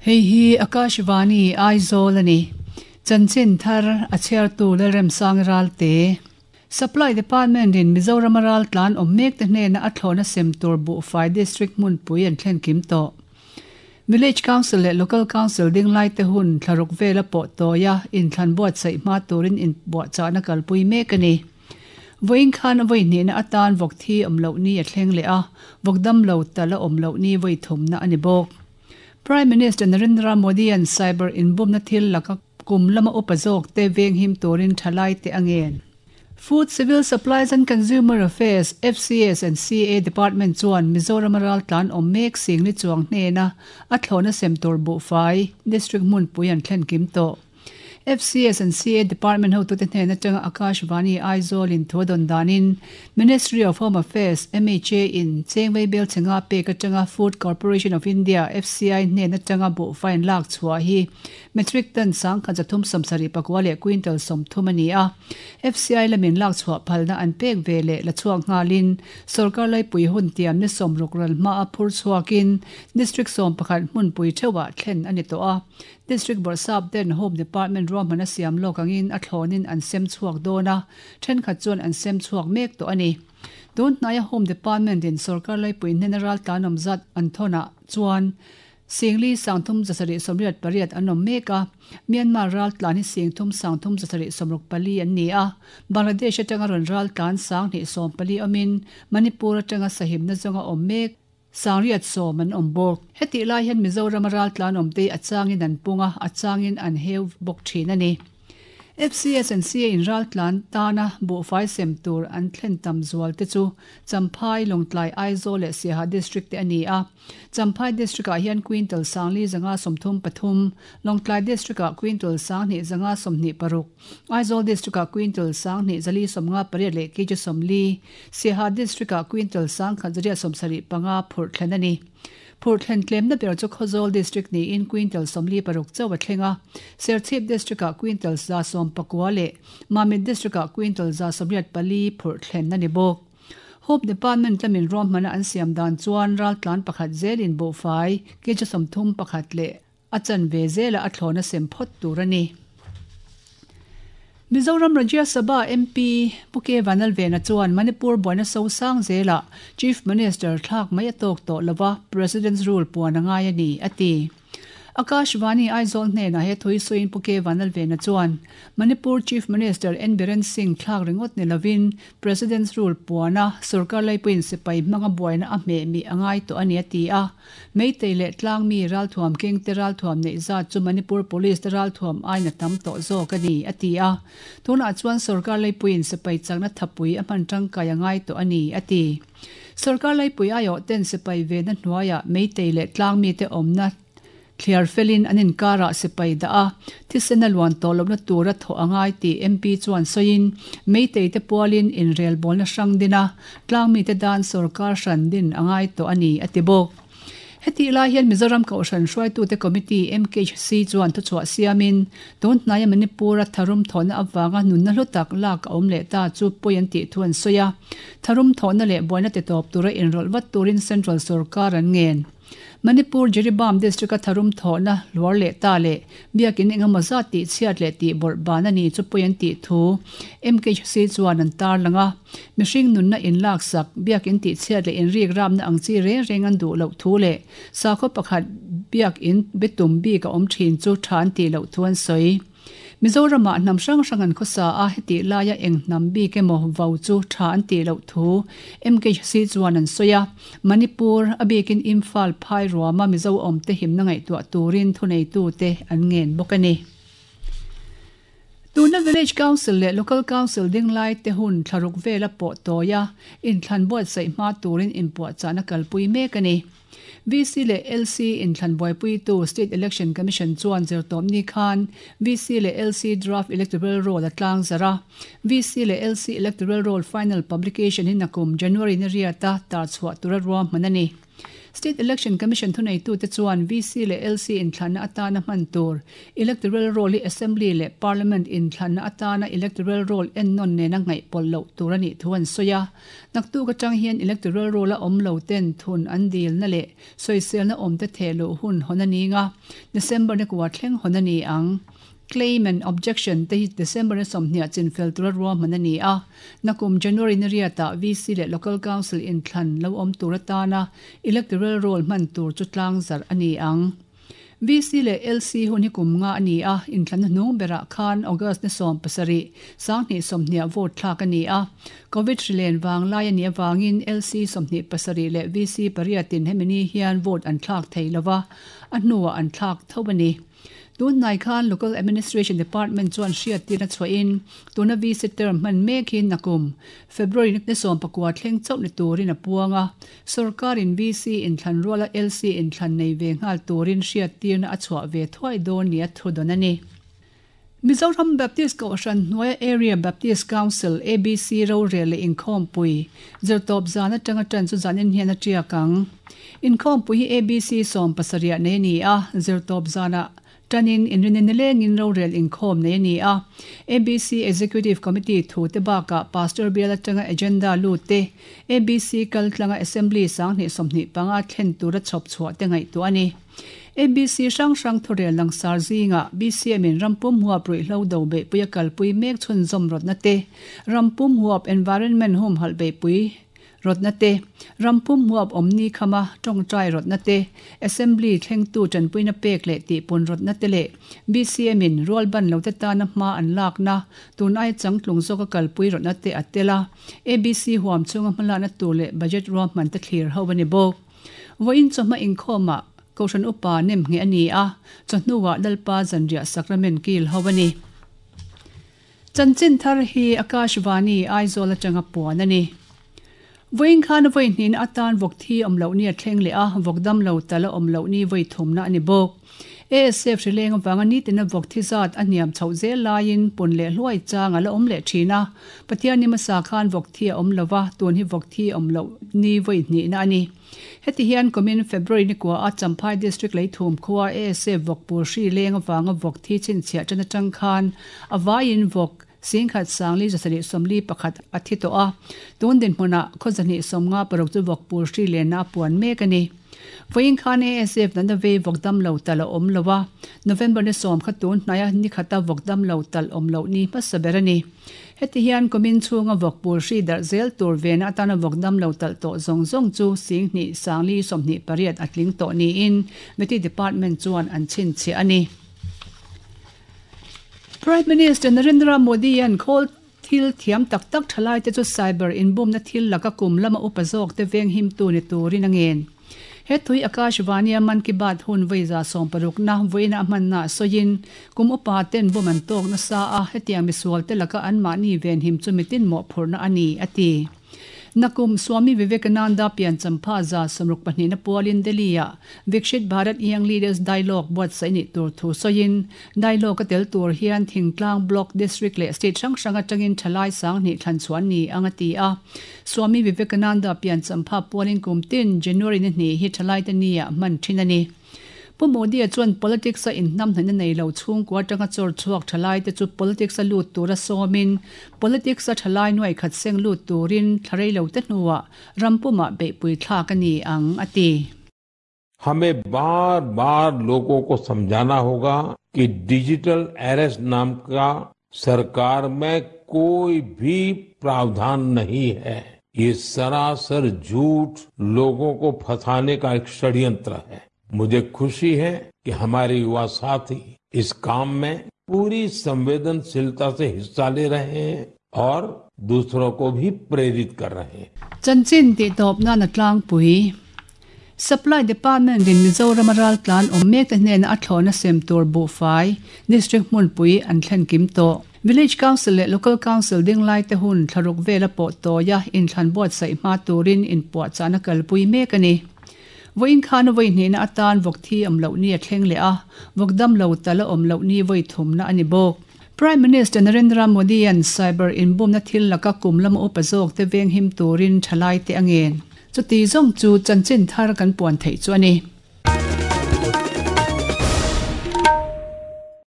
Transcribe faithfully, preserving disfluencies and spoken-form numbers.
Hei hi Akashvani Aizawl ani. Chanchin thar a chhiartu Lalremsang Ralte. Supply Department in Mizoram ral tlan awm mek te hnena a thlawna sem tur buhfai district hmunpui an thlen kim tawh. Village Council leh Local Council ding lai te hun thlaruk vela pawh tawia inthlan buatsaih hma turin in buahchahna kalpui mek ani. Vawiin khan a vawi hnihna atan vawk thi awm loh ni a thleng leh a, vawk dam lo tal a awm loh ni vawi thumna ani bawk. Prime Minister Narendra Modi an cyber inbumna thil laka kum lama upa zawk te veng him turin thalai te angen. Food, Civil Supplies and Consumer Affairs F C S and C A Department chuan Mizoram ral tlan awm mek sing ni chuang hnena a thlawna sem tur buhfai district hmunpui an thlen kim tawh. F C S and C A Department hotu te hnena tanga Akashvani Aizawl in thuadon danin Ministry of Home Affairs M H A in Chengwei bel chenga pek atanga Food Corporation of India F C I hnena tanga buhfai an lak chhuah hi metric ton sang khat zathum sawmsarih pakua leh quintal sawmthum ani a. F C I lamin lak chhuah phalna an pek ve leh la chhuak nghalin sarkar laipui hun tiam ni sawmruk ral hma a phur chhuakin district sawm pakhat hmunpui theuhah thlen ani tawh a. District Borsap den Home Department ruahmana siam lawk angin a thlawnin an sem chhuak dawn a, thenkhat chuan an sem chhuak mek tawh ani. Tun hnaia Home Department in sarkar laipui hnena ral tlan awm zat an thawnah chuan Singli sangthum zasarih sawmriat pariat an awm mek a, Myanmar ral tlan hi singthum sangthum zasarih sawmruk pali an ni a, Bangladesh atanga rawn ral tlan sang hnih sawm pali awmin Manipur atanga sahimna zawnga awm mek sangriat sawm an awm bawk. Heti lai hian Mizoram ral tlan awm te a changin an punga, a changin an heu bawk thin ani. F C S and C A in ral tlan tana buhfai sem tur an thlen tam zual te chu Champhai Lawngtlai Aizawl leh Siaha district te ani a. Champhai district ah hian quintal sangli zanga sawmthum pathum, Lawngtlai district ah quintal sanghnih zanga sawmhnih paruk, Aizawl district ah quintal sanghnih zali sawmnga pariat leh kg sawmli, Siaha district ah quintal sangkhat zariat sawmsarih panga phurh thlen ani. Phurh thlen tlemna ber chu Khawzawl district ni in quintal sawmli paruk chaw a thlenga, Serchhip district ah quintal za sawm pakua leh Mamit district ah quintal za sawmriat pali phurh thlen ani bawk. Home Department lamin ruahmana an siam dan chuan ral tlan pakhat zelin buhfai kg sawmthum pakhat leh a chan ve zela a thlawna sem phawt tur ani. Mizoram Rajya Sabha M P Puke Vanalvena chuan Manipur buaina so sang zela Chief Minister thlak mai a tawk tawh lova President's rule puan angai ani ati. Akashvani Aizawl hnena he thui suin Puke Vanalvena chuan Manipur Chief Minister N Biren Singh thlak ringot ni lovin President's rule puana sarkar laipuin sipai hmanga buaina a hmeh mi angai tawh ani ati a. Meitei leh tlang mi ral thuam keng te ral thuam nei zat chu Manipur Police te ral thuam aina tam tawh zawk ani ati a. Tunah chuan sarkar laipuin sipai chakna thapui a hman tangkai angai tawh ani ati. Sarkar laipui aio ten sipai ve na hnuaia meitei leh tlang mi te awmna thliar felin an inkara sipai da a thisena luan tawlawpna tura thaw angai ti M P chuan sawiin meitei te pualin inrel bawlna hrang dina tlang mi te dan sarkar hran din angai tawh ani ati bawk. Heti lai hian Mizoram Kohhran hruaitute Committee M K C chuan thuchhuah siamin tun hnaia Manipur a tharum thawhna awanga nunna hlu tak lak a awm leh ta chu pawi an tih thu an sawi a. Tharum thawhna leh buaina ti tawp tura inrawlh vat turin Central sarkar an ngen. Manipur Jiribam district a tharum thawhna luar leh ta leh biakin engemaw zat tih chhiat leh tih bawrh ban ani chu pawi an tih thu M K C chuan an tar langa. Mihring nunna in lak sak biakin tih chhiat leh inrik ramna ang chi reng reng an duh loh thu leh sakhaw pakhat biakin bitum bik a awm thin chu tha an tih loh thu an sawi. Mizoramah hnam hrang hrang an khawsa a heti laia eng hnam bik emaw vau chu tha an tih loh thu M K C chuan an sawi a. Manipur a bikin Imphal phai ruama Mizo awm te himna ngaihtuah turin thuneitu te an ngen bawk ani. Tuna Village Council leh Local Council ding lai te hun thlaruk vela pawh tawia inthlan buatsaih hma turin inpuahchahna kalpui mek ani. V C leh L C inthlan buaipui tu State Election Commission chuan zirtawm ni khan V C leh L C Draft Electoral Roll a tlang zara. V C leh L C Electoral Roll Final Publication hi nakum January ni riata tar chhuah tura ruahman ani. State Election Commission thunei tu te chuan V C le L C in thlanna atana hman tur electoral roll hi Assembly le Parliament in thlanna atana electoral roll en non nena ngai pol lo tur ani thuan soya naktu ka tang hian electoral roll a om lo ten thun an dil na le soisel na om te thelo hun honani nga December ne kwa thleng honani ang claim and objection te hi December na somhnia chinfel tura ruwa manani a nakum January ni riata V C le local council in thlan lo om tura tana electoral roll man tur chu tlang zar ani ang V C le L C hun hi kum nga ani a in thlan hnung bera khan August ni som pasari sangni somhnia vote thlak ani a COVID rilen wang lai ani awangin L C somhni pasari le V C pariatin hemini hian vote an thlak thei lova a hnuwa an thlak thobani tun nai khan local administration department chuan hriat tirna chhuain tuna V C term man mek hin nakum February ni som pakua thleng chauh ni turin a puanga sarkarin V C in thlan ruala L C in thlan nei ve ngal turin hriat tirna a chhuah ve thuai dawn ni a thu dawn ani Mizoram Baptist Kohhran Hnuaia Area Baptist Council A B C ro rel inkhawm pui zirtawp zan atanga tan chu zanin hian a tiakang inkhawm pui hi A B C sawm pasariah nei ani a zirtawp zana tanin inrinenileng in ro rel inkhawm nei ani a A B C Executive Committee thu te baka Pastor Biala tanga agenda lu te A B C kaltlanga Assembly sanghni sawmhnih panga thlen tura chhawp chhuah te ngaih tu ani A B C sang sang thorel lang sar zinga B C M in rampum huap rui hlo do be puia kalpui mek chhun zom rot na te rampum huap environment home hal be pui rot na te rampum huap omni khama tong trai rot na te assembly thleng tu chanpui na pek le ti pun rot na te le B C M in rol ban lo te ta na ma an lak na tun ai changtlung zoka kalpui rot na te atela A B C huam chunga hmala na tu le budget ro man te thlir ho bani bo voin choma inkhoma Kohhran upa nem nge ani a chahnuwa lalpa zanria sacrament kil howani chanchin thar hi Akashvani Aizawl atanga puan ani voin khan voin hnin atan vok thi omlo ni a thleng le a vokdam lo tala omlo ni voi thumna ani bok A S F rileng awanga ni tina vok thi zat aniam chho zel laiin pun le hluai changa la om le thina Pathian ni masa khan vok thi a om lova tun hi vok thi omlo ni voi hni na ani heti hian komin February ni kwa a Champhai district lei thum khuwa A S F vok pur hri leng awanga vok thi chin chhia tana tang khan awain vok singkhat sangli jasari somli pakhat athi to a tun din hmuna khawzani somnga paruk chu vok pur hri le na puan mek ani voin khan A S F nan ve vokdam lo tal om lowa November ni som khatun hnaya ni khata vokdam lo tal om lo ni hmasaberani heti hian komin chunga vok pur hri dar zel tur vena atana vokdam lo tal to zong zong chu singni sangli somni pariat atling to ni in meti department chuan an chin che ani Prime Minister Narendra Modi an khol thil thiam tak tak thalai te chu cyber inbum na thil laka kum lama upazok te veng him tu ni turin angen he thui Akashvani Man Ki Baat hun veiza som paruk na voina man na soyin kum upa ten buman tok na sa a hetiang misual te laka an ma ni ven him chumitin mo phurna ani ati nakum Swami Vivekananda pian champha za samruk pahnih na pualin Delhi-a Viksit Bharat Young Leaders Dialogue buat saini tur thu soyin dialogue a tel tur hian Thingtlang Block District le State hrang hrang atangin thalai sang ni thlan chuan ni anga ti a Swami Vivekananda pian champha pualin kum tin January ni hni hi thalai te nia man thin ani Pu Modi a chuan politics a in nam hna nei lo chung kwa tanga chor chuak thalai te chu politics a lut tura somin politics a thalai nuai khat seng lut turin tharei lo te hnuwa rampuma be pui thla ka ni ang ati हमें बार बार लोगों को समझाना होगा कि digital arrest नाम का सरकार में कोई भी प्रावधान नहीं है। ये सरासर झूठ लोगों को फंसाने का एक षड्यंत्र है। मुझे खुशी है कि हमारे युवा साथी इस काम में पूरी संवेदनशीलता से हिस्सा ले रहे हैं और दूसरों को भी प्रेरित कर रहे हैं। Chanchin ti top na na tlang pui Supply Department in Mizoram ral tlan om mek te hnen a thlona sem tur bu fai district mun pui an thlen kim to Village Council le Local Council ding lai te hun thlaruk vela po to ya in thlan board sai ma turin in puah chana kalpui mek ani voin khan voi hni na atan vok thi om lo ni a thleng le a vokdam lo tala om lo ni voi thum na ani bok Prime Minister Narendra Modi an cyber inbum na thil laka kum lama upazok te veng him turin thalai te angen Chuti zawng chu chanchin thar kan puan theih chu a ni.